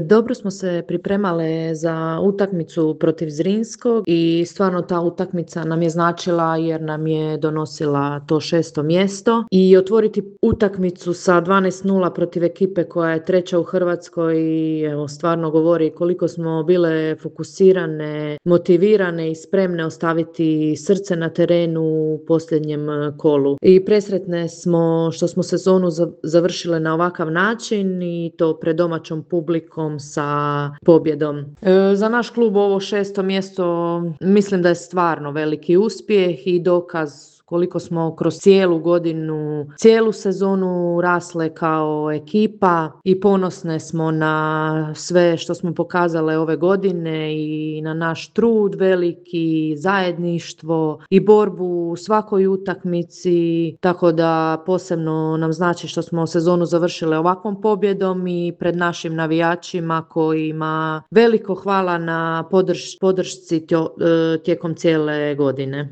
Dobro smo se pripremale za utakmicu protiv Zrinskog i stvarno ta utakmica nam je značila jer nam je donosila to 6. mjesto i otvoriti utakmicu sa 12:0 protiv ekipe koja je treća u Hrvatskoj i evo stvarno govori koliko smo bile fokusirane, motivirane i spremne ostaviti srce na terenu u posljednjem kolu. I presretne smo što smo sezonu završile na ovakav način i to pred domaćom publikom sa pobjedom. Za naš klub ovo 6. mjesto mislim da je stvarno veliki uspjeh i dokaz koliko smo kroz cijelu godinu, cijelu sezonu rasle kao ekipa i ponosne smo na sve što smo pokazale ove godine i na naš trud veliki, zajedništvo i borbu u svakoj utakmici, tako da posebno nam znači što smo sezonu završile ovakvom pobjedom i pred našim navijačima kojima veliko hvala na podršci tijekom cijele godine.